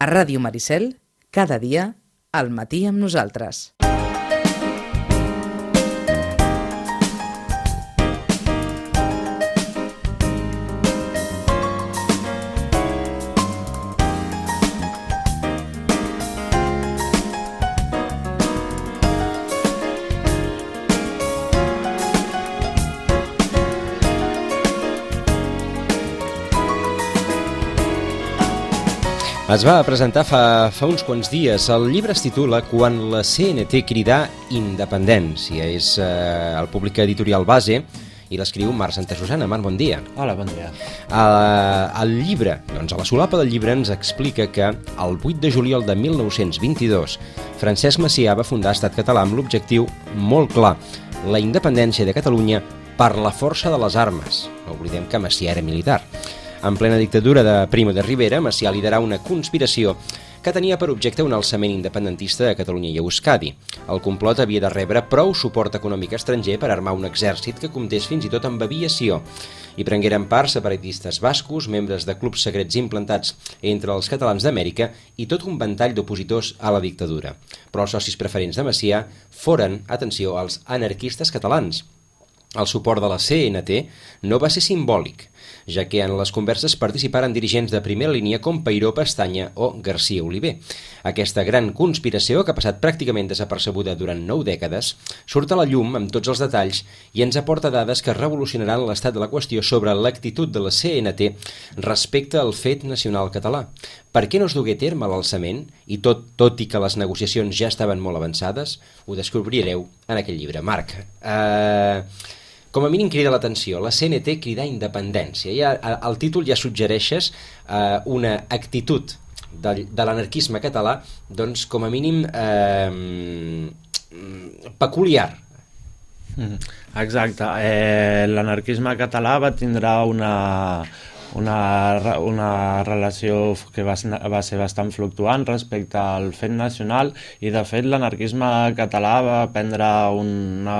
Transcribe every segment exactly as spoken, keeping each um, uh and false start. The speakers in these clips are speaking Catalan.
A Ràdio Maricel, cada dia, al matí amb nosaltres. Es va presentar fa, fa uns quants dies. El llibre es titula Quan la C N T cridà independència. És eh, el publica Editorial Base i l'escriu Marc Santasusana. Marc, bon dia. Hola, bon dia. Uh, el llibre, doncs a la solapa del llibre ens explica que el vuit de juliol de mil nou-cents vint-i-dos Francesc Macià va fundar Estat Català amb l'objectiu molt clar, la independència de Catalunya per la força de les armes. No oblidem que Macià era militar. En plena dictadura de Primo de Rivera, Macià liderà una conspiració que tenia per objecte un alçament independentista a Catalunya i a Euskadi. El complot havia de rebre prou suport econòmic estranger per armar un exèrcit que comptés fins i tot amb aviació. Hi prengueren part separatistes bascos, membres de clubs secrets implantats entre els catalans d'Amèrica i tot un ventall d'opositors a la dictadura. Però els socis preferents de Macià foren, atenció, els anarquistes catalans. El suport de la C N T no va ser simbòlic, ja que en les converses participaren dirigents de primera línia com Peiró Pestanya o García Oliver. Aquesta gran conspiració, que ha passat pràcticament desapercebuda durant nou dècades, surt a la llum amb tots els detalls i ens aporta dades que revolucionaran l'estat de la qüestió sobre l'actitud de la C N T respecte al fet nacional català. Per què no es dugué a terme l'alçament, i tot, tot i que les negociacions ja estaven molt avançades? Ho descobrireu en aquest llibre. Marc, eh... com a mínim crida l'atenció, la C N T cridar independència. Ja, el títol ja suggereixes eh, una actitud de, de l'anarquisme català, doncs com a mínim eh, peculiar. Exacte. Eh, l'anarquisme català va tindre una... Una, una relació que va, va ser bastant fluctuant respecte al fet nacional i de fet l'anarquisme català va prendre una,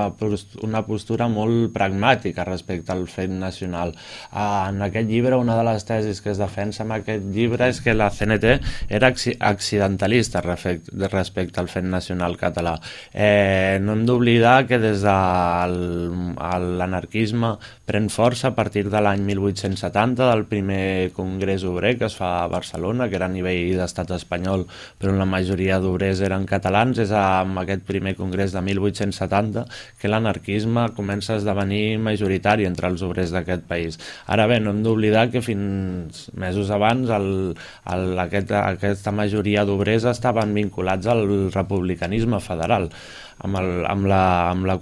una postura molt pragmàtica respecte al fet nacional. En aquest llibre una de les tesis que es defensa en aquest llibre és que la C N T era accidentalista respecte, respecte al fet nacional català. Eh, no hem d'oblidar que des de l'anarquisme pren força a partir de l'any mil vuit-cents setanta del primer congrés obrer que es fa a Barcelona, que era a nivell d'estat espanyol, però la majoria d'obrers eren catalans. És amb aquest primer congrés de mil vuit-cents setanta que l'anarquisme comença a esdevenir majoritari entre els obrers d'aquest país. Ara bé, no hem d'oblidar que fins mesos abans el, el, aquest, aquesta majoria d'obrers estaven vinculats al republicanisme federal, amb, el, amb, la, amb, la,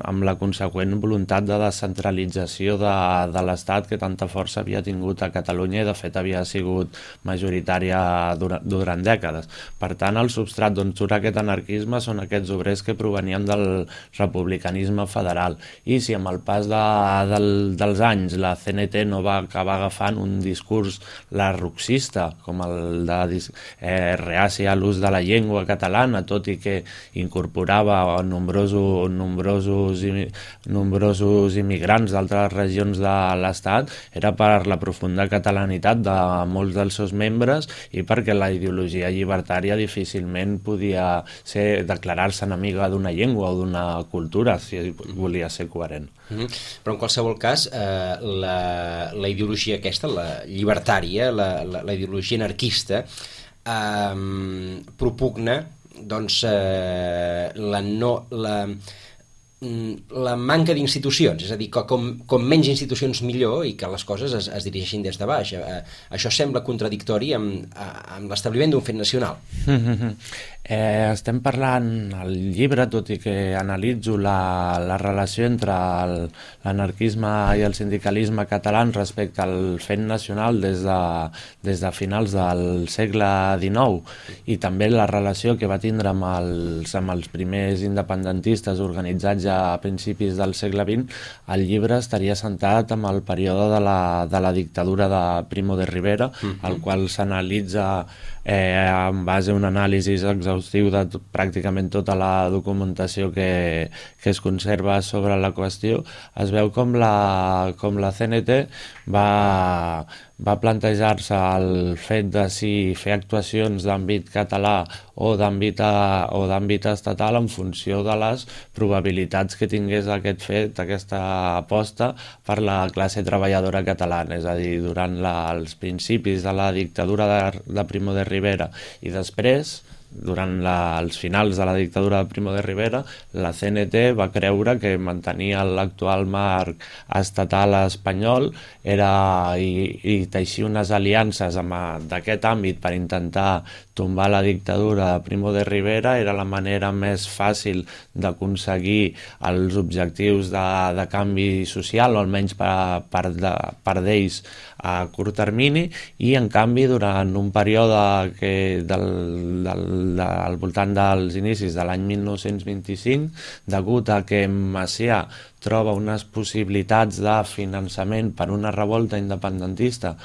amb la conseqüent voluntat de descentralització de, de l'Estat que tanta força havia tingut a Catalunya i de fet havia sigut majoritària durant, durant dècades. Per tant, el substrat d'on surt aquest anarquisme són aquests obrers que provenien del republicanisme federal. I si amb el pas de, del, dels anys la C N T no va acabar agafant un discurs larroxista com el de eh, reaci a l'ús de la llengua catalana, tot i que incorporava nombrosos, nombrosos, nombrosos immigrants d'altres regions de l'Estat, era per la profunda catalanitat de molts dels seus membres i perquè la ideologia llibertària difícilment podia ser declarar-se enemiga d'una llengua o d'una cultura si volia ser coherent. Mm-hmm. Però en qualsevol cas, eh, la, la ideologia aquesta, la llibertària, la, la, la ideologia anarquista, eh, propugna doncs eh, la, no, la, la manca d'institucions, és a dir, que com, com menys institucions millor i que les coses es, es dirigeixin des de baix. Eh, això sembla contradictori amb, amb l'establiment d'un fet nacional. Eh, estem parlant al llibre, tot i que analitzo la, la relació entre l'anarquisme i el sindicalisme català respecte al fet nacional des de, des de finals del segle dinou i també la relació que va tindre amb els, amb els primers independentistes organitzats ja a principis del segle vint, el llibre estaria centrat en el període de la, de la dictadura de Primo de Rivera, uh-huh. el qual s'analitza eh, en base a un anàlisi exhaustiu de tot, pràcticament tota la documentació que, que es conserva sobre la qüestió. Es veu com la, com la C N T va, va plantejar-se el fet de si fer actuacions d'àmbit català o d'àmbit o d'àmbit estatal en funció de les probabilitats que tingués aquest fet, aquesta aposta per la classe treballadora catalana. És a dir, durant la, els principis de la dictadura de, de Primo de Rivera i després, durant la, els finals de la dictadura de Primo de Rivera, la C N T va creure que mantenir l'actual marc estatal espanyol era, i, i teixir unes aliances d'aquest àmbit per intentar tombar la dictadura de Primo de Rivera era la manera més fàcil d'aconseguir els objectius de, de canvi social, o almenys per, per, de, per d'ells a curt termini, i en canvi durant un període que del, del, de, al voltant dels inicis de l'any mil nou-cents vint-i-cinc, degut a que Macià troba unes possibilitats de finançament per una revolta independentista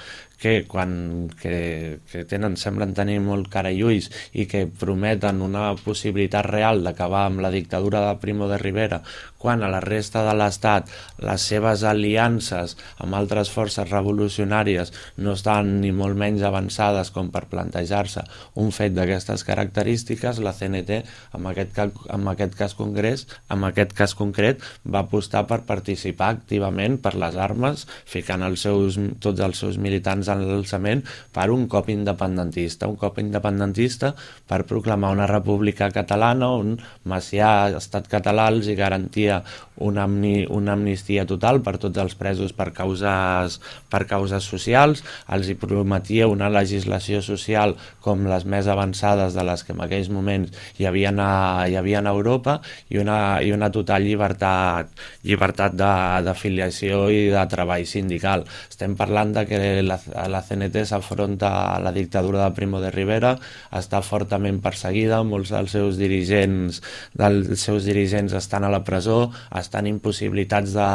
que, quan, que, que tenen, semblen tenir molt cara i ulls i que prometen una possibilitat real d'acabar amb la dictadura de Primo de Rivera, quan a la resta de l'Estat les seves aliances amb altres forces revolucionàries no estan ni molt menys avançades com per plantejar-se un fet d'aquestes característiques, la C N T, en aquest, cas, en aquest cas congrés, en aquest cas concret, va apostar per participar activament per les armes, ficant els seus, tots els seus militants en l'alçament per un cop independentista, un cop independentista per proclamar una república catalana on Macià, estat català, els hi garantia una, amni, una amnistia total per tots els presos per causes, per causes socials, els hi prometia una legislació social com les més avançades de les que en aquells moments hi havia a, hi havia a Europa, i una, i una total llibertat, llibertat d'afiliació i de treball sindical. Estem parlant de que la, la C N T s'afronta a la dictadura de Primo de Rivera, està fortament perseguida, molts dels seus dirigents, dels seus dirigents estan a la presó, estan impossibilitats de,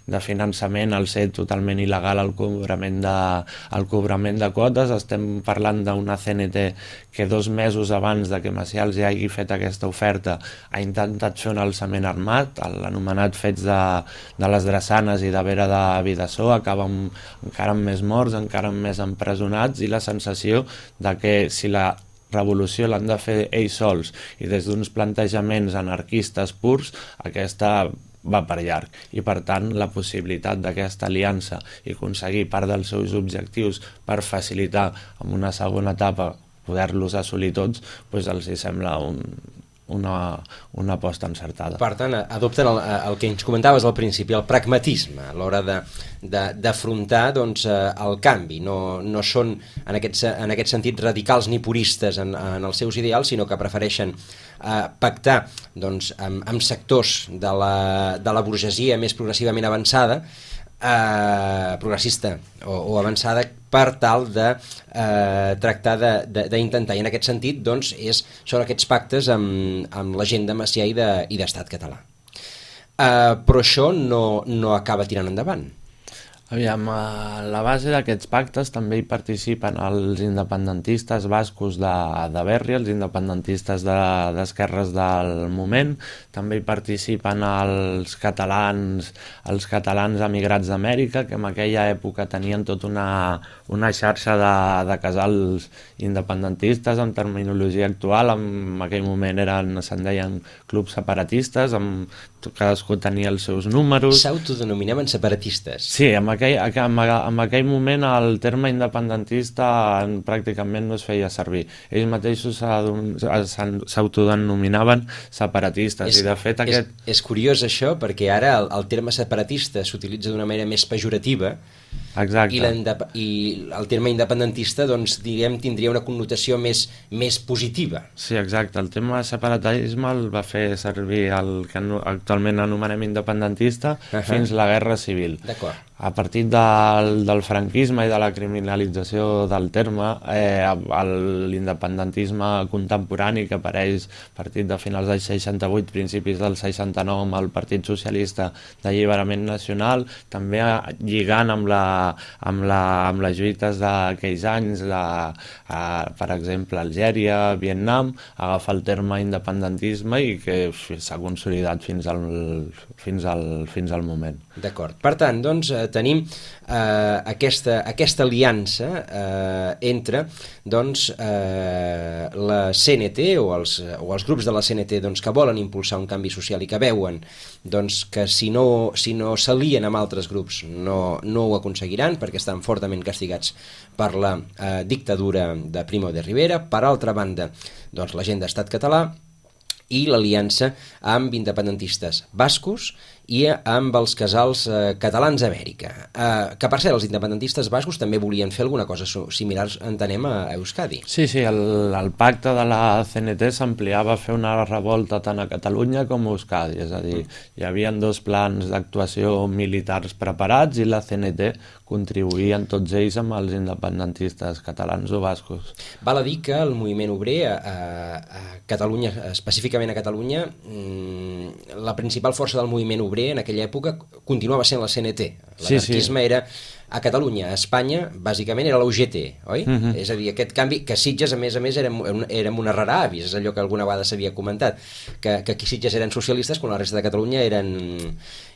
de finançament al ser totalment il·legal el cobrament de, el cobrament de quotes. Estem parlant d'una C N T que dos mesos abans de que Macià els hagi fet aquesta oferta ha intentat fer un alçament armat, l'anomenat fets de, de les Drassanes i de Vera de Vidassó, acaba amb, encara amb més morts, encara amb més empresonats, i la sensació de que si la revolució l'han de fer ells sols i des d'uns plantejaments anarquistes purs, aquesta va per llarg, i per tant la possibilitat d'aquesta aliança i aconseguir part dels seus objectius per facilitar en una segona etapa poder-los assolir tots, doncs els hi sembla un, una, una aposta encertada. Per tant, adopten el, el que ens comentaves al principi, el pragmatisme a l'hora de, de, d'afrontar doncs, el canvi. No, no són en aquest, en aquest sentit radicals ni puristes en, en els seus ideals, sinó que prefereixen eh, pactar doncs, amb, amb sectors de la, de la burgesia més progressivament avançada, eh, progressista o, o avançada, per tal de eh, tractar d'intentar, i en aquest sentit doncs, és, són aquests pactes amb, amb la gent de Macià i d'Estat de, català. Eh, però això no, no acaba tirant endavant. Aviam, a la base d'aquests pactes també hi participen els independentistes bascos de, de Berri, els independentistes d'esquerres de, del moment, també hi participen els catalans, els catalans emigrats d'Amèrica, que en aquella època tenien tota una, una xarxa de, de casals independentistes en terminologia actual. En aquell moment eren, se'n deien clubs separatistes, amb, cadascú tenia els seus números. S'autodenominaven separatistes. Sí, en aquell, en, en aquell moment el terme independentista pràcticament no es feia servir. Ells mateixos s'autodenominaven separatistes. És, i de fet aquest... és, és curiós això, perquè ara el, el terme separatista s'utilitza d'una manera més pejorativa. Exacte. I, i el terme independentista doncs, diguem, tindria una connotació més, més positiva. Sí, exacte. El tema separatisme el va fer servir el que actualment anomenem independentista uh -huh. fins la Guerra Civil. D'acord. A partir del, del franquisme i de la criminalització del terme, eh, l'independentisme contemporani que apareix a partir de finals del seixanta-vuit, principis del seixanta-nou, amb el Partit Socialista d'Alliberament Nacional, també lligant amb, la, amb, la, amb les lluites d'aquells anys, la, a, per exemple, Algèria, Vietnam, agafa el terme independentisme i que s'ha consolidat fins al, fins al, fins al moment. D'acord. Per tant, doncs, eh, tenim eh, aquesta, aquesta aliança eh, entre doncs, eh, la C N T o els, o els grups de la C N T doncs, que volen impulsar un canvi social i que veuen doncs, que si no, si no s'alien amb altres grups no, no ho aconseguiran perquè estan fortament castigats per la eh, dictadura de Primo de Rivera. Per altra banda, doncs, la gent d'Estat Català i l'aliança amb independentistes bascos i amb els casals eh, catalans d'Amèrica. Eh, que, per cert, els independentistes bascos també volien fer alguna cosa similar, entenem, a Euskadi. Sí, sí, el, el pacte de la C N T s'ampliava a fer una revolta tant a Catalunya com a Euskadi, és a dir, hi havia dos plans d'actuació militars preparats i la C N T contribuïen tots ells amb els independentistes catalans o bascos. Val a dir que el moviment obrer a, a Catalunya, específicament a Catalunya, la principal força del moviment obrer en aquella època continuava sent la C N T. L'anarquisme sí, sí. era a Catalunya, a Espanya, bàsicament era l'U G T, oi? Uh-huh. És a dir, aquest canvi, que Sitges, a més a més, érem, érem una rara avis, és allò que alguna vegada s'havia comentat, que, que aquí Sitges eren socialistes quan la resta de Catalunya eren,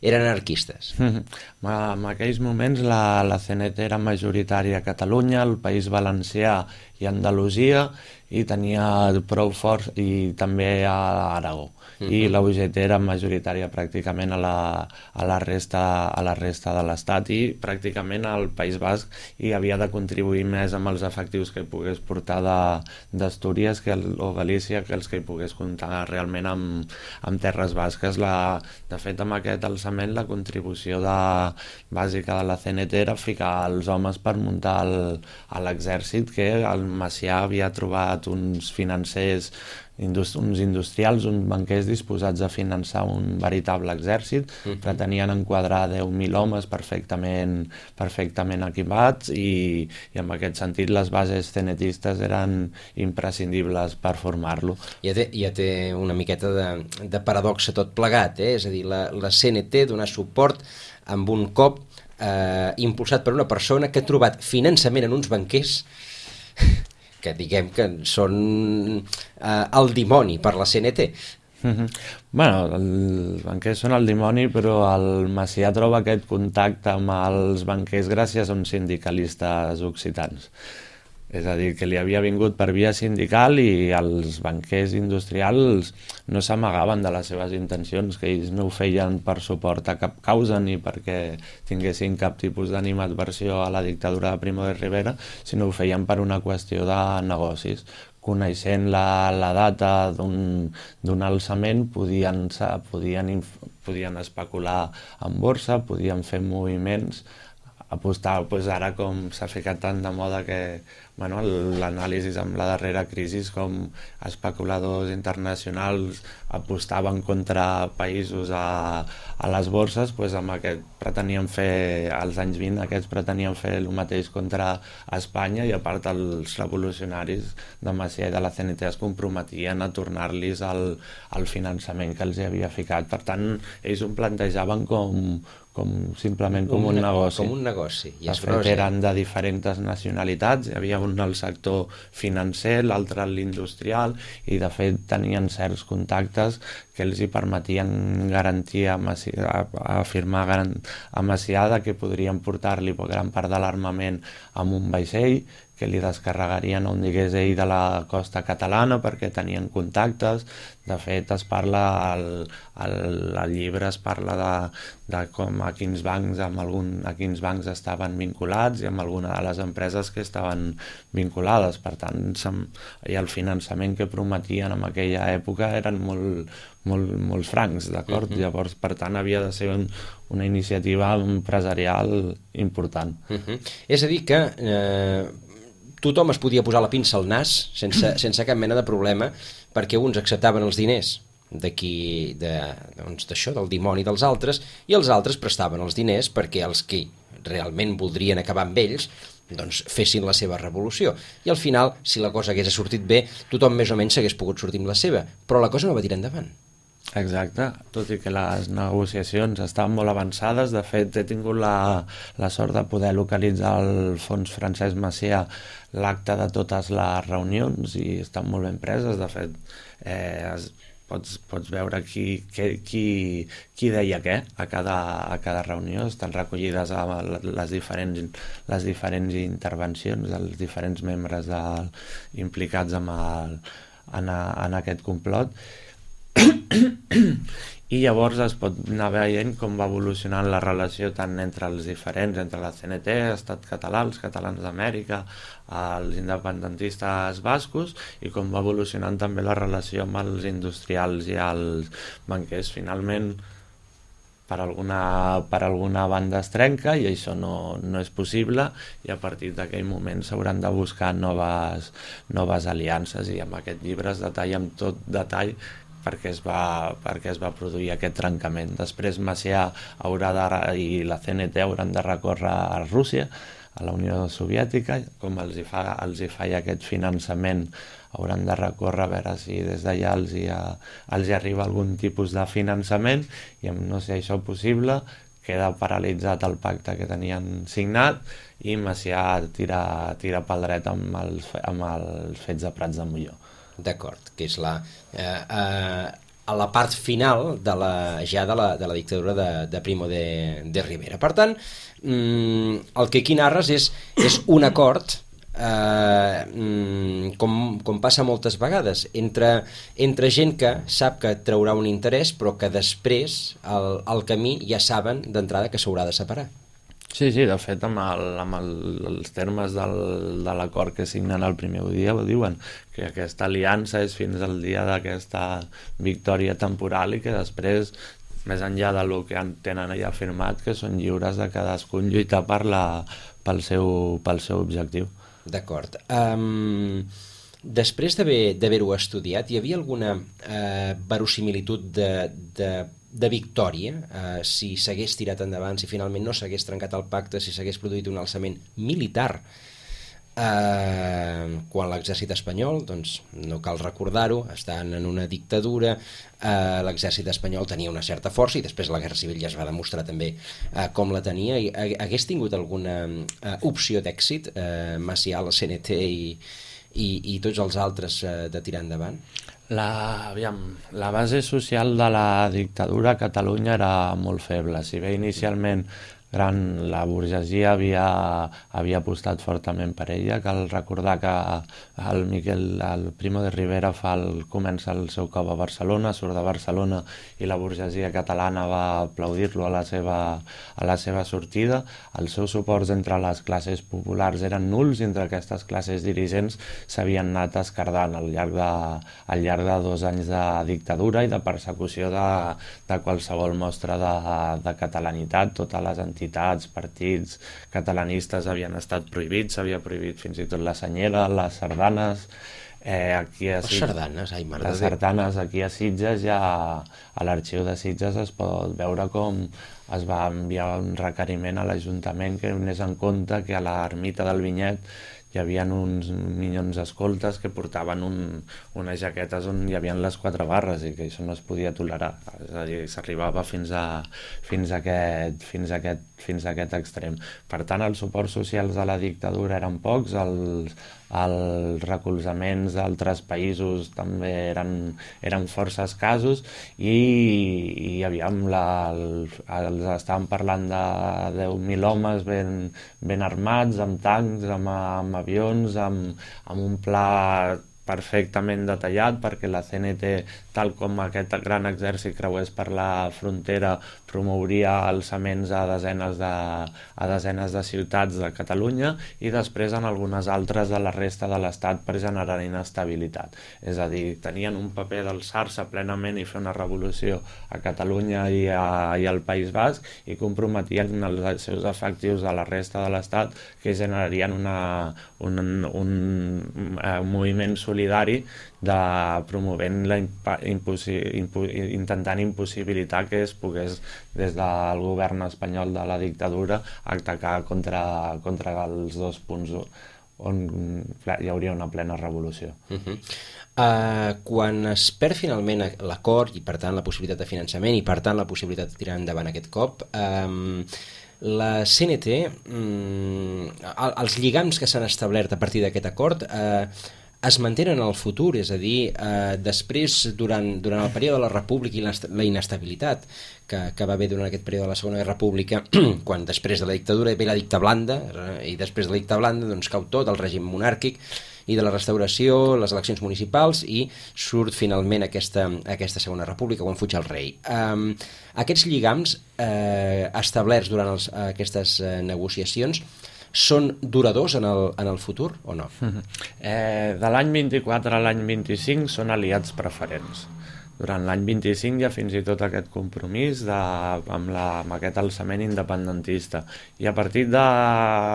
eren anarquistes. Uh-huh. En aquells moments la, la C N T era majoritària a Catalunya, al País Valencià i Andalusia, i tenia prou forts, i també a Aragó. Uh-huh. I la U G T era majoritària pràcticament a la, a la, resta, a la resta de l'Estat, i pràcticament al País Basc hi havia de contribuir més amb els efectius que hi pogués portar d'Astúries que el, o Galícia que els que hi pogués comptar realment amb, amb terres basques. La, de fet, amb aquest alçament la contribució de, bàsica de la C N T era ficar els homes per muntar el, l'exèrcit, que el Macià havia trobat uns financers, Indust- uns industrials, uns banquers disposats a finançar un veritable exèrcit. Uh-huh. Pretenien enquadrar deu mil homes perfectament, perfectament equipats, i, i en aquest sentit les bases cenetistes eren imprescindibles per formar-lo. Ja té, ja té una miqueta de, de paradoxa tot plegat, eh? És a dir, la, la C N T donar suport amb un cop eh, impulsat per una persona que ha trobat finançament en uns banquers que diguem que són eh, el dimoni per la C N T. Mm-hmm. Bueno, els banquers són el dimoni, però el Macià troba aquest contacte amb els banquers gràcies a uns sindicalistes occitans. És a dir, que li havia vingut per via sindical, i els banquers industrials no s'amagaven de les seves intencions, que ells no ho feien per suport a cap causa ni perquè tinguessin cap tipus d'animadversió a la dictadura de Primo de Rivera, sinó ho feien per una qüestió de negocis. Coneixent la, la data d'un alçament, podien, podien, podien especular en borsa, podien fer moviments, apostar, doncs ara com s'ha ficat tant de moda que bueno, l'anàlisi amb la darrera crisi, com especuladors internacionals apostaven contra països a, a les borses, doncs amb aquest pretenien fer, als anys vint, aquests pretenien fer el mateix contra Espanya, i a part els revolucionaris de Macià i de la C N T es comprometien a tornar-los el, el finançament que els havia ficat. Per tant, ells ho plantejaven com com simplement com un, un negoci. Com un negoci. I de fet, eren de diferents nacionalitats, hi havia un al sector financer, l'altre a l'industrial, i de fet tenien certs contactes que els hi permetien garantir a, Macià, a afirmar a Macià que podrien portar-li gran part de l'armament amb un vaixell, que li descarregarien on digués ell de la costa catalana perquè tenien contactes. De fet, es parla al, al, al llibre es parla de, de com a quins bancs amb algun, a quins bancs estaven vinculats i amb alguna de les empreses que estaven vinculades. Per tant, i el finançament que prometien en aquella època eren molt, molt, molt francs, d'acord? Uh-huh. Llavors, per tant, havia de ser un, una iniciativa empresarial important. Uh-huh. És a dir que eh, tothom es podia posar la pinça al nas sense, sense cap mena de problema, perquè uns acceptaven els diners d'aquí, de, doncs, d'això, del dimoni dels altres, i els altres prestaven els diners perquè els que realment voldrien acabar amb ells doncs fessin la seva revolució. I al final, si la cosa hagués sortit bé, tothom més o menys s'hagués pogut sortir amb la seva, però la cosa no va tirar endavant. Exacte, tot i que les negociacions estaven molt avançades. De fet, he tingut la, la sort de poder localitzar al fons Francesc Macià l'acte de totes les reunions, i estan molt ben preses. De fet, eh, es, pots, pots veure qui, qui, qui, qui deia què a cada, a cada reunió. Estan recollides a les diferents, les diferents intervencions dels diferents membres del, implicats amb el, en, a, en aquest complot. I llavors es pot anar veient com va evolucionant la relació tant entre els diferents, entre la C N T, Estat català, els catalans d'Amèrica, els independentistes bascos, i com va evolucionant també la relació amb els industrials i els banquers. Finalment, per alguna, per alguna banda es trenca i això no, no és possible, i a partir d'aquell moment s'hauran de buscar noves, noves aliances, i amb aquest llibre es detalla amb tot detall perquè es va, perquè es va produir aquest trencament. Després Macià haurà de, i la C N T hauran de recórrer a Rússia, a la Unió Soviètica, com els hi, fa, els hi fa aquest finançament, hauran de recórrer a veure si des d'allà els, hi, els hi arriba algun tipus de finançament, i no sé si això és possible, queda paralitzat el pacte que tenien signat, i Macià tira, tira pel dret amb els, amb els fets de Prats de Molló. D'acord, que és la, eh, eh, a la part final de la, ja de la, de la dictadura de, de Primo de, de Rivera. Per tant, mm, el que aquí narres és, és un acord, eh, com, com passa moltes vegades, entre, entre gent que sap que traurà un interès, però que després, al, al camí, ja saben d'entrada que s'haurà de separar. Sí, sí, de fet, amb, el, amb el, els termes del, de l'acord que signen el primer dia ho diuen, que aquesta aliança és fins al dia d'aquesta victòria temporal i que després, més enllà del que tenen allà firmat, que són lliures de cadascun lluitar per la, pel, seu, pel seu objectiu. D'acord. Um, després d'haver-ho estudiat, hi havia alguna uh, verosimilitud de... de de victòria, eh, si s'hagués tirat endavant, si finalment no s'hagués trencat el pacte, si s'hagués produït un alçament militar, eh, quan l'exèrcit espanyol, doncs no cal recordar-ho, estan en una dictadura, eh, l'exèrcit espanyol tenia una certa força, i després la Guerra Civil ja es va demostrar també eh, com la tenia, i hagués tingut alguna eh, opció d'èxit, eh, Macià, la C N T i, i, i tots els altres eh, de tirar endavant? La, aviam, la base social de la dictadura a Catalunya era molt feble. Si bé inicialment gran, la burgesia havia, havia apostat fortament per ella, cal recordar que el, Miquel, el Primo de Rivera fa el, comença el seu cop a Barcelona, surt de Barcelona i la burgesia catalana va aplaudir-lo a la seva, a la seva sortida. Els seus suports entre les classes populars eren nuls i entre aquestes classes dirigents s'havien anat escardant al llarg de, al llarg de dos anys de dictadura i de persecució de, de qualsevol mostra de, de catalanitat. Totes les entitats, partits catalanistes havien estat prohibits, s'havia prohibit fins i tot la senyera, les sardanes. Eh, aquí a Sitges, les sardanes, ai, mare les sardanes aquí a Sitges, ja a l'arxiu de Sitges es pot veure com es va enviar un requeriment a l'Ajuntament que donés en compte que a l'ermita del Vinyet hi havia uns minyons escoltes que portaven un, unes jaquetes on hi havia les quatre barres i que això no es podia tolerar. És a dir, s'arribava fins a, fins a, aquest, fins a, aquest, fins a aquest extrem. Per tant, els suports socials de la dictadura eren pocs, els, els recolzaments d'altres països també eren, eren força escassos i, i aviam, la, el, els estàvem parlant de deu mil homes ben, ben armats, amb tancs, amb, amb avions, amb, amb un pla perfectament detallat perquè la C N T, tal com aquest gran exèrcit creués per la frontera, promouria alçaments a desenes de, a desenes de ciutats de Catalunya i després en algunes altres de la resta de l'Estat per generar inestabilitat. És a dir, tenien un paper d'alçar-se plenament i fer una revolució a Catalunya i, a, i al País Basc i comprometien els seus efectius a la resta de l'Estat que generarien una, un, un, un, un moviment solidari de promovent la imposi, impo, intentant impossibilitar que es pogués des del govern espanyol de la dictadura atacar contra, contra els dos punts on hi hauria una plena revolució. Uh-huh. Uh, quan es perd finalment l'acord i per tant la possibilitat de finançament i per tant la possibilitat de tirar endavant aquest cop, um, la C N T, um, els lligams que s'han establert a partir d'aquest acord, uh, es mantenen en el futur, és a dir, eh, després, durant, durant el període de la República i la inestabilitat que, que va haver durant aquest període de la Segona Guerra República, quan després de la dictadura ve la dicta blanda, eh, i després de la dicta blanda doncs cau tot el règim monàrquic, i de la restauració, les eleccions municipals, i surt finalment aquesta, aquesta Segona República quan fuig el rei. Um, aquests lligams eh, establerts durant els, aquestes eh, negociacions són duradors en el, en el futur o no? Eh, de l'any vint-i-quatre a l'any vint-i-cinc són aliats preferents. Durant l'any vint-i-cinc hi ha fins i tot aquest compromís de, amb, la, amb aquest alçament independentista. I a partir de,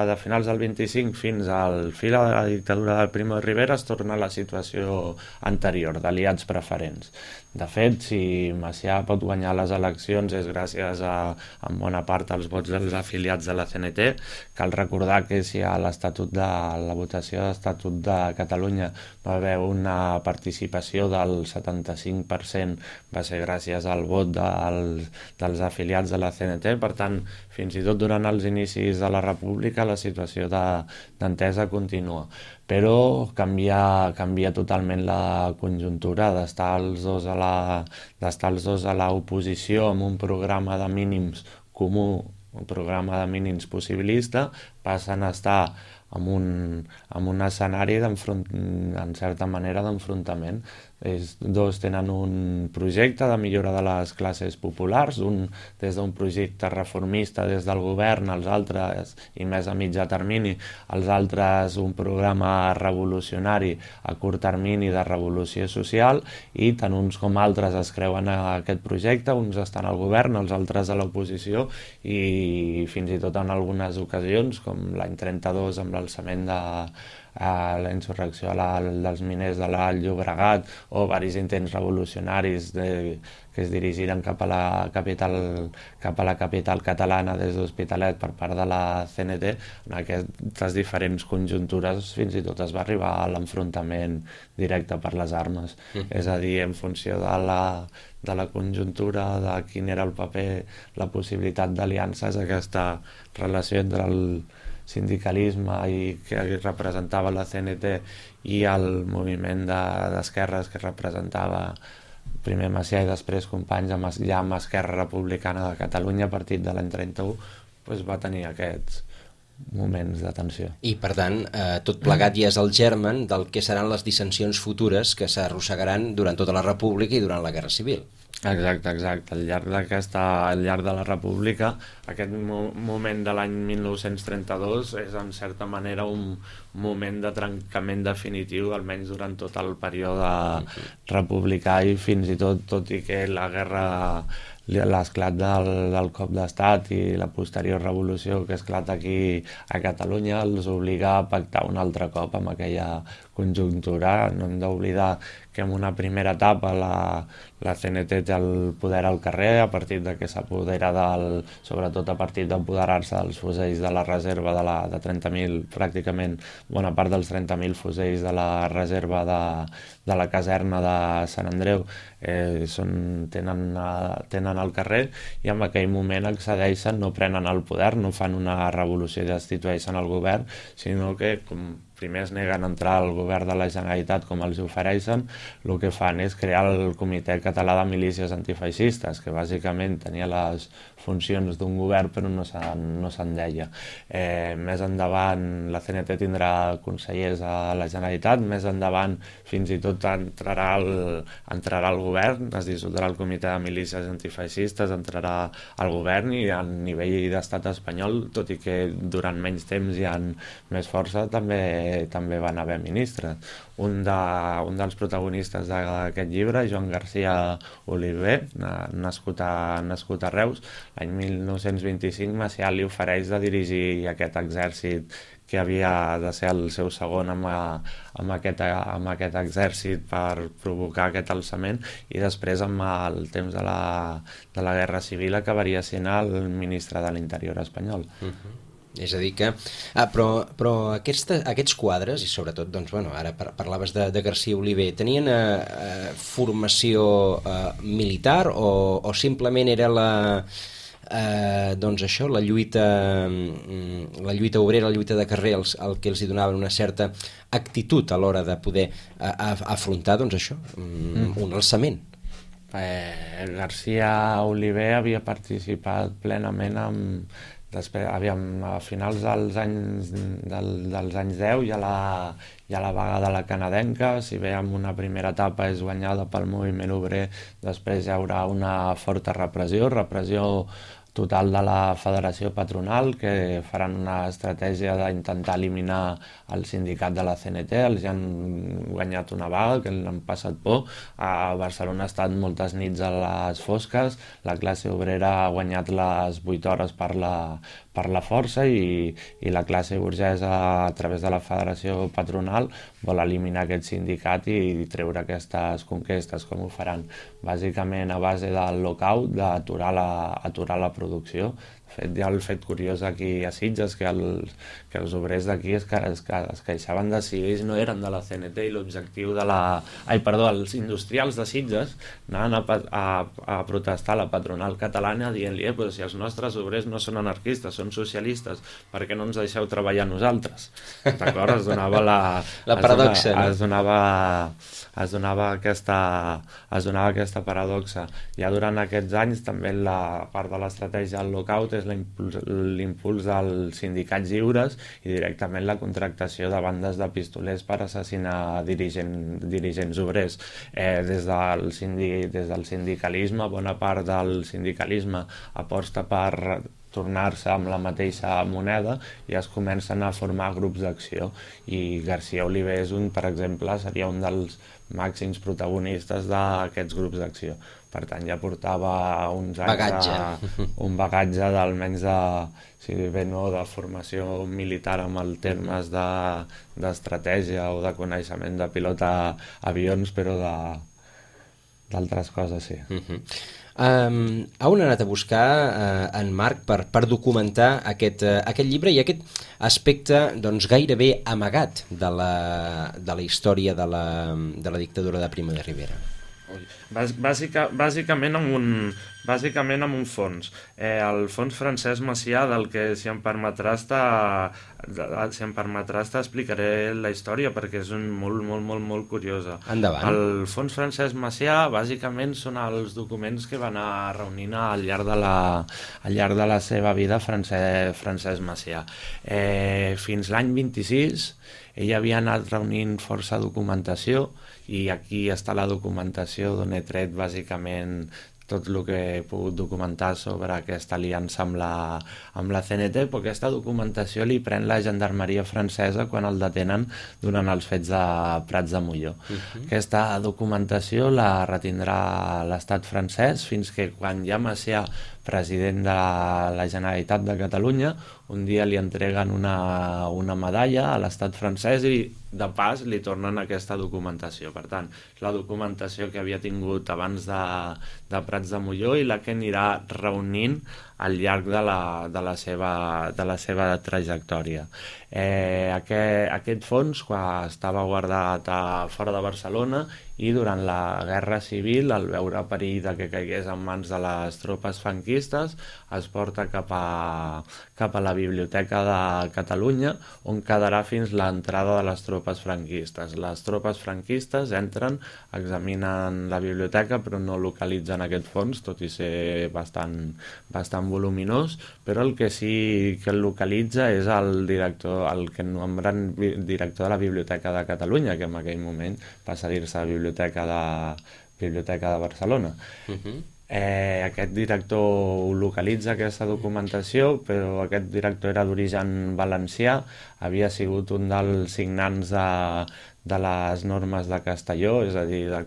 de finals del vint-i-cinc fins al fi de la dictadura del Primo de Rivera es torna a la situació anterior, d'aliats preferents. De fet, si Macià pot guanyar les eleccions és gràcies a, en bona part, als vots dels afiliats de la C N T. Cal recordar que si a l'estatut de la votació de l'Estatut de Catalunya va haver una participació del setanta-cinc per cent, va ser gràcies al vot dels, dels afiliats de la C N T. Per tant, fins i tot durant els inicis de la República la situació d'entesa continua. Però canvia, canvia totalment la conjuntura d'estar els dos a la, d'estar els dos a l'oposició amb un programa de mínims comú, un programa de mínims possibilista, passen a estar amb un, amb un escenari en certa manera d'enfrontament. Els dos tenen un projecte de millora de les classes populars, un des d'un projecte reformista des del govern, els altres, i més a mitjà termini, els altres un programa revolucionari a curt termini de revolució social, i tant uns com altres es creuen a aquest projecte, uns estan al govern, els altres a l'oposició, i fins i tot en algunes ocasions, com l'any trenta-dos amb l'alçament de a la insurrecció a la, dels miners de l'Alt Llobregat, o varis intents revolucionaris de, que es dirigiren cap a la capital, cap a la capital catalana des d'Hospitalet per part de la C N T. En aquestes diferents conjuntures fins i tot es va arribar a l'enfrontament directe per les armes. Mm. És a dir, en funció de la, de la conjuntura, de quin era el paper, la possibilitat d'aliances, aquesta relació entre el sindicalisme i que representava la C N T i el moviment d'esquerres de, que representava primer Macià i després companys amb, ja amb Esquerra Republicana de Catalunya a partir de l'any trenta-u, doncs va tenir aquests moments de tensió. I per tant, eh, tot plegat ja és el germen del que seran les dissensions futures que s'arrossegaran durant tota la República i durant la Guerra Civil. Exacte, exacte. Al llarg d'aquesta, al llarg de la República, aquest mo moment de l'any mil nou-cents trenta-dos és en certa manera un moment de trencament definitiu, almenys durant tot el període republicà, i fins i tot, tot i que la guerra, l'esclat del, del cop d'estat i la posterior revolució que esclata aquí a Catalunya els obliga a pactar un altre cop amb aquella conjuntura. No hem d'oblidar que en una primera etapa la, la C N T té el poder al carrer a partir de que s'apodera del, sobretot a partir d'apoderar-se dels fusells de la reserva de, la, de trenta mil, pràcticament bona part dels trenta mil fusells de la reserva de, de la caserna de Sant Andreu eh, són, tenen, tenen al carrer, i en aquell moment accedeixen, no prenen el poder, no fan una revolució i destitueixen el govern, sinó que com primer es neguen a entrar al govern de la Generalitat com els ofereixen, el que fan és crear el Comitè Català de Milícies Antifeixistes, que bàsicament tenia les funcions d'un govern però no se'n no se'n deia. Eh, més endavant la C N T tindrà consellers a la Generalitat, més endavant fins i tot entrarà al, entrarà al govern, es dissoldrà el Comitè de Milícies Antifeixistes, entrarà al govern, i a nivell d'estat espanyol, tot i que durant menys temps hi ha més força, també també van haver ministres. Un, de, un dels protagonistes d'aquest llibre, Joan García Oliver, nascut a, nascut a Reus, l'any mil nou-cents vint-i-cinc, Macià li ofereix de dirigir aquest exèrcit que havia de ser el seu segon amb, amb, aquest, amb aquest exèrcit per provocar aquest alçament, i després amb el temps de la, de la Guerra Civil acabaria sent el ministre de l'Interior espanyol. Uh-huh. És a dir que... Ah, però però aquesta, aquests quadres, i sobretot, doncs, bueno, ara par parlaves de, de García Oliver, tenien eh, eh, formació eh, militar o, o simplement era la... eh, doncs això, la lluita, la lluita obrera, la lluita de carrer, el, el que els hi donava una certa actitud a l'hora de poder a, a, afrontar, doncs això, mm. un alçament. Eh, García Oliver havia participat plenament amb... Després, aviam, a finals dels anys, del, dels anys deu hi ha, la, hi ha la vaga de la canadenca, si bé en una primera etapa és guanyada pel moviment obrer, després hi haurà una forta repressió, repressió total de la Federació Patronal, que faran una estratègia d'intentar eliminar el sindicat de la C N T, els han guanyat una vaga, que l'han passat por. A Barcelona ha estat moltes nits a les fosques, la classe obrera ha guanyat les vuit hores per la, per la força i, i la classe burgesa, a través de la Federació Patronal, vol eliminar aquest sindicat i treure aquestes conquestes. Com ho faran? Bàsicament a base del lockout, d'aturar la, aturar la producció. De fet, hi ha el fet curiós aquí a Sitges, que els, que els obrers d'aquí es, es, es queixaven de si ells no eren de la C N T i l'objectiu de la... Ai, perdó, els industrials de Sitges anaven a, a, a protestar a la patronal catalana dient-li eh, però si els nostres obrers no són anarquistes, són socialistes, per què no ens deixeu treballar nosaltres? D'acord? Es donava la... La paradoxa, es donava, no? Es donava, es donava aquesta, es donava aquesta paradoxa. Ja durant aquests anys també la part de l'estratègia del lockout és l'impuls dels sindicats lliures i directament la contractació de bandes de pistolers per assassinar dirigent, dirigents obrers. Eh, des, del sindi, des del sindicalisme, bona part del sindicalisme aposta per tornar-se amb la mateixa moneda i es comencen a formar grups d'acció. I García Oliver és un, per exemple, seria un dels màxims protagonistes d'aquests grups d'acció. Per tant, ja portava uns anys bagatge. De, un bagatge d'almenys de, si bé no, de formació militar amb els termes de, d'estratègia o de coneixement de pilota avions, però de, d'altres coses, sí. Uh-huh. Um, on ha anat a buscar uh, en Marc per, per documentar aquest, uh, aquest llibre i aquest aspecte doncs, gairebé amagat de la, de la història de la, de la dictadura de Primo de Rivera? Bàsica, bàsicament, amb un, bàsicament amb un fons. Eh, el fons Francesc Macià, del que, si em permetrà estar, si em permetrà estar, explicaré la història, perquè és un molt, molt, molt, molt curiosa. Endavant. El fons Francesc Macià, bàsicament, són els documents que va anar reunint al llarg de la, al llarg de la seva vida Francesc, Francesc Macià. Eh, fins l'any vint-i-sis, ell havia anat reunint força documentació i aquí està la documentació d'on he tret bàsicament tot el que he pogut documentar sobre aquesta aliança amb la, amb la C N T, però aquesta documentació li pren la gendarmeria francesa quan el detenen durant els fets de Prats de Molló. Uh-huh. Aquesta documentació la retindrà l'estat francès fins que quan ja Macià, president de la, la Generalitat de Catalunya, un dia li entreguen una, una medalla a l'estat francès i de pas li tornen aquesta documentació. Per tant, la documentació que havia tingut abans de, de Prats de Molló i la que anirà reunint al llarg de la, de la, seva, de la seva trajectòria. Eh, aquest, aquest fons, quan estava guardat a fora de Barcelona, i durant la Guerra Civil, al veure perill de que caigués en mans de les tropes franquistes, es porta cap a, cap a la Biblioteca de Catalunya, on quedarà fins l'entrada de les tropes franquistes. Les tropes franquistes entren, examinen la biblioteca, però no localitzen aquest fons, tot i ser bastant, bastant voluminós, però el que sí que el localitza és el director, el que nombren director de la Biblioteca de Catalunya, que en aquell moment passa a dir-se Biblioteca de, Biblioteca de Barcelona. Uh-huh. Eh, aquest director localitza aquesta documentació, però aquest director era d'origen valencià, havia sigut un dels signants de, de les normes de Castelló, és a dir, de,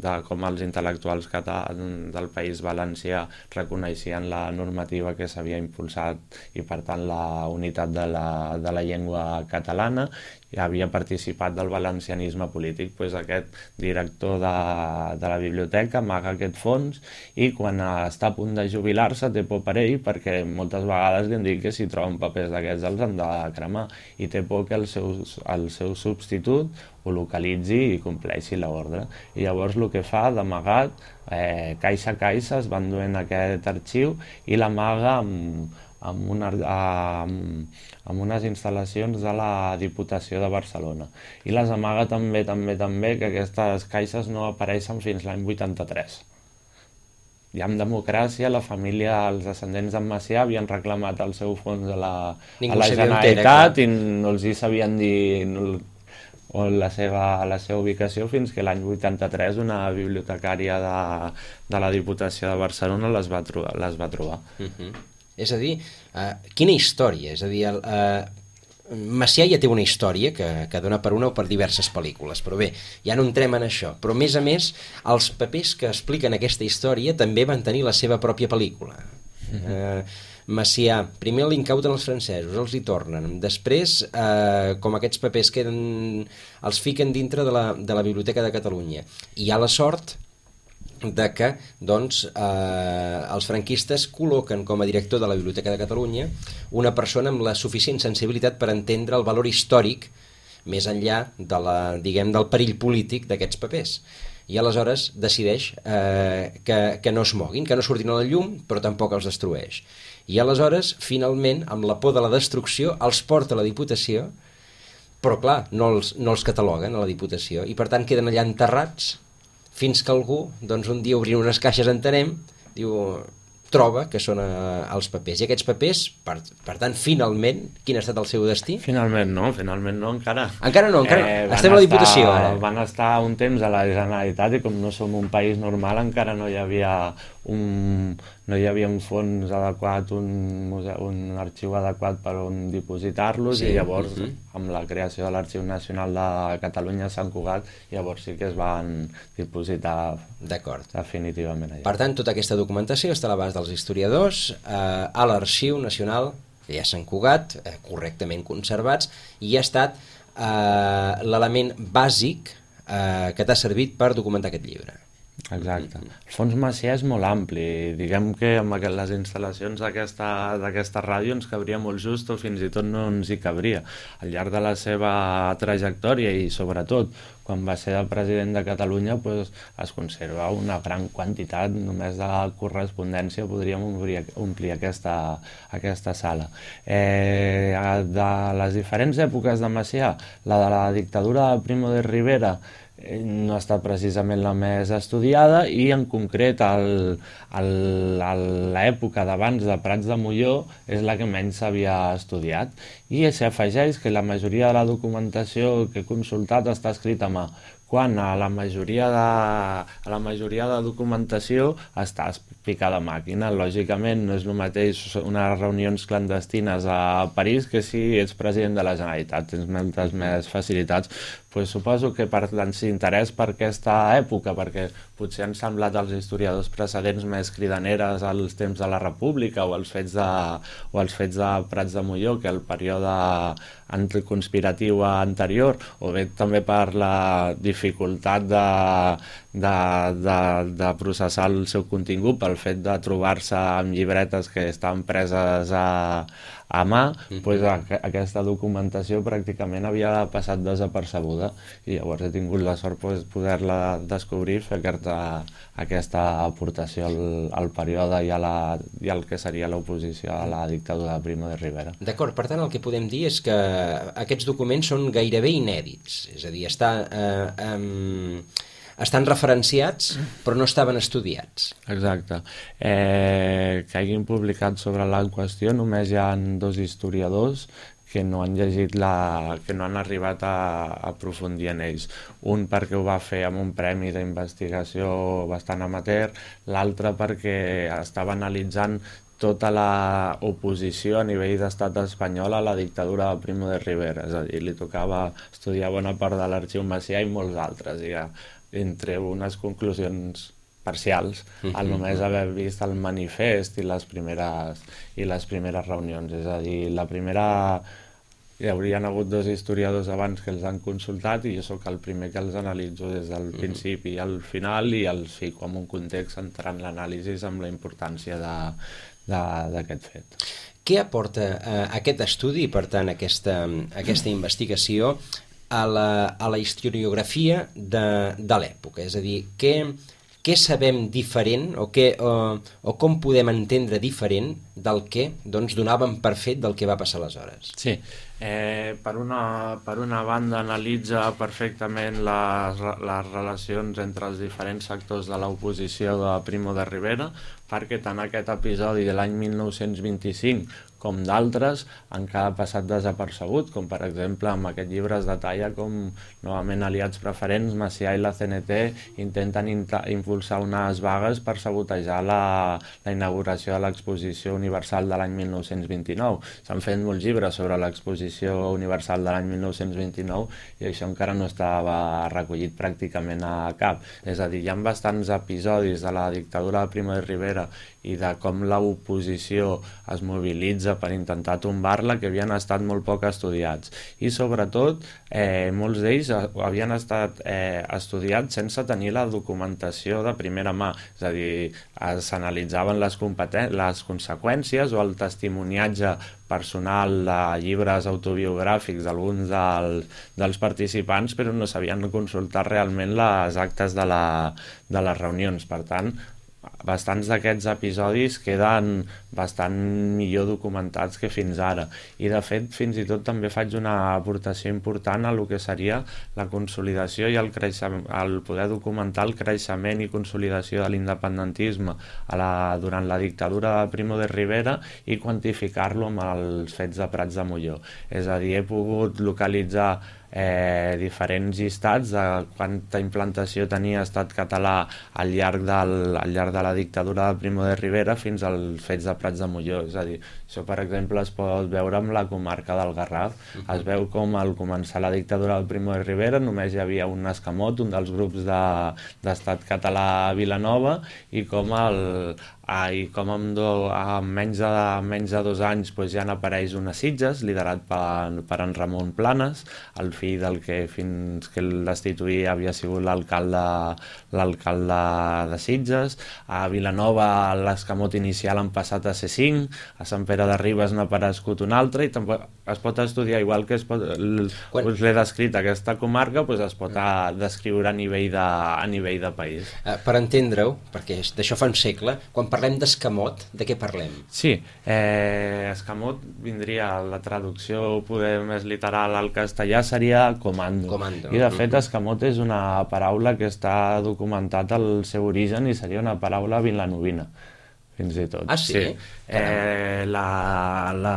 de com els intel·lectuals catalans del País Valencià reconeixien la normativa que s'havia impulsat i, per tant, la unitat de la, de la llengua catalana, i havia participat del valencianisme polític. Pues aquest director de, de la biblioteca amaga aquest fons i quan està a punt de jubilar-se té por per ell, perquè moltes vegades li han dit que si troben papers d'aquests els han de cremar, i té por que el seu, el seu substitut ho localitzi i compleixi l'ordre. I llavors el que fa, d'amagat, eh, caixa a caixa es van duent aquest arxiu i l'amaga amb, amb, una, amb, amb unes instal·lacions de la Diputació de Barcelona. I les amaga també, també, també, que aquestes caixes no apareixen fins l'any vuitanta-tres. I amb democràcia, la família, els descendents d'en Macià havien reclamat el seu fons a la, a la Generalitat i no els hi sabien dir no, o la seva, la seva ubicació fins que l'any vuitanta-tres una bibliotecària de, de la Diputació de Barcelona les va trobar. Les va trobar. Uh-huh. És a dir, uh, quina història? És a dir, el, uh, Macià ja té una història que, que dona per una o per diverses pel·lícules, però bé, ja no entrem en això. Però a més a més, els papers que expliquen aquesta història també van tenir la seva pròpia pel·lícula. Uh-huh. uh, Macià, primer l'incauten els francesos, els hi tornen, després, eh, com aquests papers queden, els fiquen dintre de la, de la Biblioteca de Catalunya. I hi ha la sort de que doncs, eh, els franquistes col·loquen com a director de la Biblioteca de Catalunya una persona amb la suficient sensibilitat per entendre el valor històric més enllà de la, diguem, del perill polític d'aquests papers. I aleshores decideix eh, que, que no es moguin, que no surtin a la llum, però tampoc els destrueix. I aleshores, finalment, amb la por de la destrucció, els porta a la Diputació, però clar, no els, no els cataloguen a la Diputació, i per tant queden allà enterrats fins que algú, doncs un dia obrint unes caixes, entenem, diu, troba que són eh, els papers. I aquests papers, per, per tant, finalment, quin ha estat el seu destí? Finalment no, finalment no, encara. Encara no, encara eh, estem a la Diputació. Estar, ara. Van estar un temps a la Generalitat i com no som un país normal encara no hi havia un, no hi havia un fons adequat, un, museu, un arxiu adequat per on dipositar-los, sí, i llavors uh-huh. amb la creació de l'Arxiu Nacional de Catalunya a Sant Cugat, llavors sí que es van dipositar definitivament allà. Per tant, tota aquesta documentació està a l'abast dels historiadors eh, a l'Arxiu Nacional ja a Sant Cugat, eh, correctament conservats, i ha estat eh, l'element bàsic eh, que t'ha servit per documentar aquest llibre. Exacte. El fons Macià és molt ampli. Diguem que amb les instal·lacions d'aquesta ràdio ens cabria molt just o fins i tot no ens hi cabria. Al llarg de la seva trajectòria i sobretot quan va ser el president de Catalunya pues, es conserva una gran quantitat, només de correspondència podríem omplir, omplir aquesta, aquesta sala. Eh, de les diferents èpoques de Macià, la de la dictadura de Primo de Rivera no ha estat precisament la més estudiada i en concret l'època d'abans de Prats de Molló és la que menys s'havia estudiat i s'afegeix que la majoria de la documentació que he consultat està escrita a mà, quan a la majoria de, a la majoria de documentació està picada a màquina. Lògicament no és el mateix unes reunions clandestines a París que si ets president de la Generalitat, tens moltes més facilitats. Pues suposo que per l'interès per aquesta època, perquè potser han semblat als historiadors precedents més cridaneres als temps de la República o als fets de, o als fets de Prats de Molló que el període anticonspiratiu anterior, o bé també per la dificultat de, de, de, de processar el seu contingut pel fet de trobar-se amb llibretes que estaven preses a, a mà, mm-hmm. pues, a, aquesta documentació pràcticament havia passat desapercebuda i llavors he tingut la sort pues, poder-la descobrir, fer aquesta, aquesta aportació al, al període i, a la, i al que seria l'oposició a la dictadura de Primo de Rivera. D'acord, per tant el que podem dir és que aquests documents són gairebé inèdits, és a dir, està, eh, eh, estan referenciats però no estaven estudiats. Exacte. Eh, que hagin publicat sobre la qüestió només hi ha dos historiadors que no han llegit la, que no han arribat a, a aprofundir en ells. Un perquè ho va fer amb un premi d'investigació bastant amateur, l'altre perquè estava analitzant tota la oposició a nivell d'estat espanyol a la dictadura de Primo de Rivera, és a dir, li tocava estudiar bona part de l'Arxiu Macià i molts altres, i entre unes conclusions parcials, al només haver vist el manifest i les primeres, i les primeres reunions. És a dir, la primera... Hi haurien hagut dos historiadors abans que els han consultat i jo sóc el primer que els analitzo des del uh-huh. principi al final i els fico en un context entrant l'anàlisi amb la importància d'aquest fet. Què aporta eh, aquest estudi, per tant, aquesta, aquesta investigació a la, a la historiografia de, de l'època? És a dir, què, què sabem diferent o, què, o, o com podem entendre diferent del que doncs, donàvem per fet del que va passar aleshores? Sí, eh, per, una, per una banda analitza perfectament les, les relacions entre els diferents sectors de l'oposició de Primo de Rivera, perquè tant aquest episodi de l'any mil nou-cents vint-i-cinc com d'altres han quedat passat desapercebut, com per exemple amb aquest llibre es detalla com novament aliats preferents, Macià i la C N T intenten impulsar unes vagues per sabotejar la, la inauguració de l'exposició universal de l'any mil nou-cents vint-i-nou. S'han fet molts llibres sobre l'exposició universal de l'any mil nou-cents vint-i-nou i això encara no estava recollit pràcticament a cap. És a dir, hi ha bastants episodis de la dictadura de Primo de Rivera i de com l'oposició es mobilitza per intentar tombar-la, que havien estat molt poc estudiats. I sobretot, eh, molts d'ells havien estat eh, estudiats sense tenir la documentació de primera mà. És a dir, s'analitzaven les, les conseqüències o el testimoniatge personal de llibres autobiogràfics d'alguns dels, dels participants, però no sabien consultar realment les actes de, la, de les reunions. Per tant, bastants d'aquests episodis queden bastant millor documentats que fins ara. I de fet, fins i tot també faig una aportació important a el que seria la consolidació i el, creixement, el poder documentar el creixement i consolidació de l'independentisme a la, durant la dictadura de Primo de Rivera i quantificar-lo amb els fets de Prats de Molló. És a dir, he pogut localitzar Eh, diferents llistats de quanta implantació tenia estat català al llarg, del, al llarg de la dictadura de Primo de Rivera fins als fets de Prats de Molló. És a dir, això per exemple es pot veure amb la comarca del Garraf. Uh-huh. Es veu com al començar la dictadura del Primo de Rivera només hi havia un escamot, un dels grups de, d'estat català a Vilanova, i com el Ah, i com en, do, en, menys de, en menys de dos anys pues, ja n'apareix una Sitges, liderat per, per en Ramon Planes, el fill del que fins que el destituí havia sigut l'alcalde l'alcalde de Sitges. A Vilanova l'escamot inicial han passat a ser cinc, a Sant Pere de Ribes n'ha aparegut un altre, i tampoc es pot estudiar, igual que es pot, el, Quan... us l'he descrit aquesta comarca, pues es pot a, descriure a nivell de, a nivell de país. Uh, per entendre-ho, perquè d'això fa un segle, quan parlem d'escamot, de què parlem? Sí, eh, escamot vindria, la traducció poder més literal al castellà seria comando. Comando. I de fet escamot és una paraula que està documentat al seu origen i seria una paraula vilanovina, fins i tot. Ah, sí? sí. Eh, la, la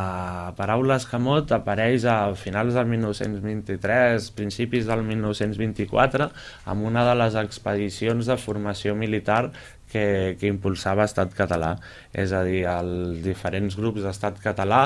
paraula escamot apareix a finals del mil nou-cents vint-i-tres, principis del mil nou-cents vint-i-quatre, amb una de les expedicions de formació militar que, que impulsava Estat Català. És a dir, els diferents grups d'Estat Català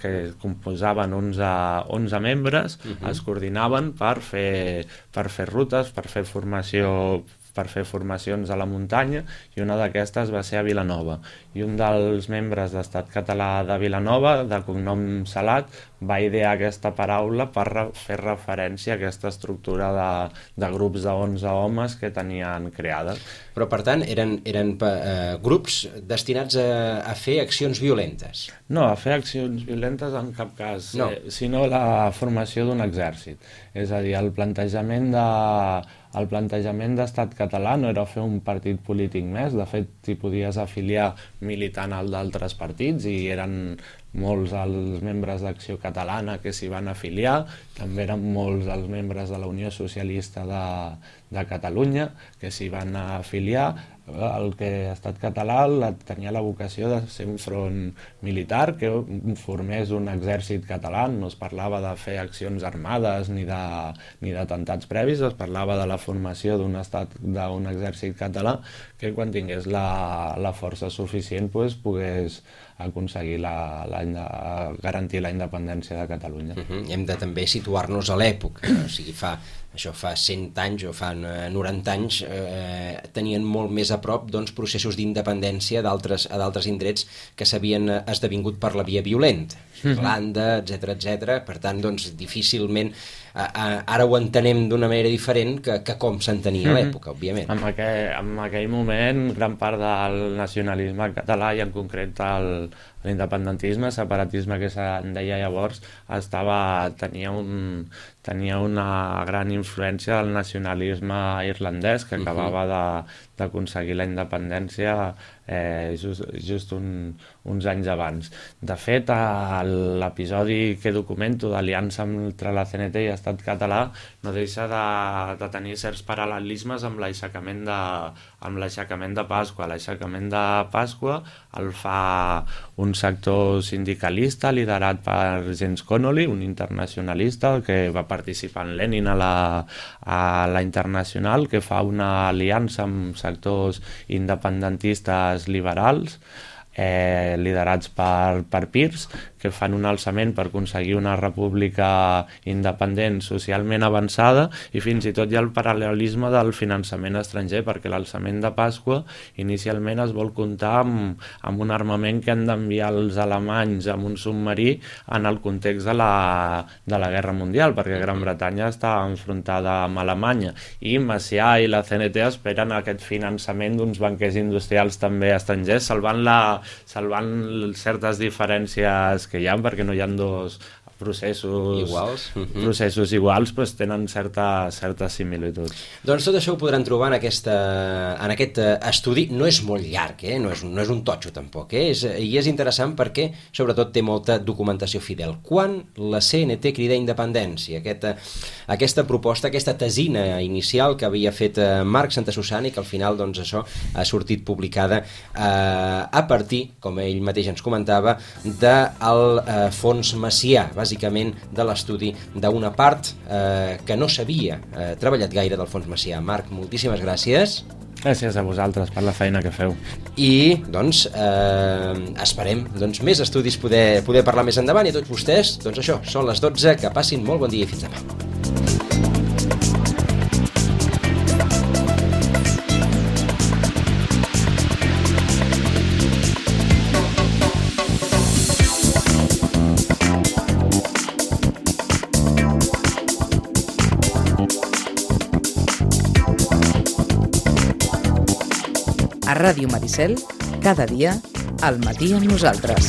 que composaven onze, onze membres, uh-huh. es coordinaven per fer, per fer rutes, per fer formació per fer formacions a la muntanya, i una d'aquestes va ser a Vilanova. I un dels membres d'Estat Català de Vilanova, de cognom Salat, va idear aquesta paraula per re- fer referència a aquesta estructura de, de grups de onze homes que tenien creada. Però, per tant, eren, eren eh, grups destinats a, a fer accions violentes? No, a fer accions violentes en cap cas, no. eh, sinó la formació d'un exèrcit. És a dir, el plantejament de... El plantejament d'Estat Català no era fer un partit polític més, de fet t'hi podies afiliar militant al d'altres partits i eren molts els membres d'Acció Catalana que s'hi van afiliar, també eren molts els membres de la Unió Socialista de, de Catalunya que s'hi van afiliar. El que Estat Català la, tenia la vocació de ser un front militar que formés un exèrcit català, no es parlava de fer accions armades ni de, ni d'atemptats previs, es parlava de la formació d'un estat, d'un exèrcit català que quan tingués la, la força suficient pues, pogués aconseguir la, la, la, garantir la independència de Catalunya. Uh-huh. Hem de també situar-nos a l'època, o sigui, fa, això fa cent anys o fa noranta anys, eh, tenien molt més a prop doncs, processos d'independència d'altres, a d'altres indrets que s'havien esdevingut per la via violenta, Irlanda, etcètera, etcètera. Per tant, doncs, difícilment a, a, ara ho entenem d'una manera diferent que, que com s'entenia a l'època, òbviament. En aquell, en aquell moment, gran part del nacionalisme català i en concret el, L'independentisme, separatisme que se'n deia llavors, estava, tenia, un, tenia una gran influència del nacionalisme irlandès que acabava de, d'aconseguir la independència eh, just, just un, uns anys abans. De fet, l'episodi que documento d'aliança entre la C N T i Estat català no deixa de, de tenir certs paral·lelismes amb l'aixecament de, amb l'aixecament de Pasqua. L'aixecament de Pasqua el fa un sector sindicalista liderat per James Connolly, un internacionalista que va participar en Lenin a la, a la Internacional, que fa una aliança amb sectors independentistes liberals eh, liderats per, per Peirce, que fan un alçament per aconseguir una república independent socialment avançada, i fins i tot hi ha el paral·lelisme del finançament estranger, perquè l'alçament de Pasqua inicialment es vol comptar amb, amb un armament que han d'enviar els alemanys amb un submarí en el context de la, de la Guerra Mundial, perquè Gran Bretanya està enfrontada amb Alemanya, i Macià i la C N T esperen aquest finançament d'uns banquers industrials també estrangers, salvant, la, salvant certes diferències que hi ha, perquè no hi ha dos processos iguals, uh-huh. processos iguals, però tenen certa, certes similituds. Doncs tot això ho podran trobar en, aquesta, en aquest estudi. No és molt llarg, eh? no, és, no és un totxo tampoc, eh? és, i és interessant perquè sobretot té molta documentació fidel. Quan la C N T crida independència, aquesta, aquesta proposta, aquesta tesina inicial que havia fet Marc Santasusana i que al final doncs, això ha sortit publicada eh, a partir, com ell mateix ens comentava, del eh, Fons Macià, bàsicament de l'estudi d'una part eh, que no s'havia eh, treballat gaire del Fons Macià. Marc, moltíssimes gràcies. Gràcies a vosaltres per la feina que feu. I, doncs, eh, esperem doncs, més estudis poder, poder parlar més endavant, i a tots vostès, doncs això, són les dotze, que passin molt bon dia i fins demà. A Ràdio Maricel, cada dia, al matí amb nosaltres.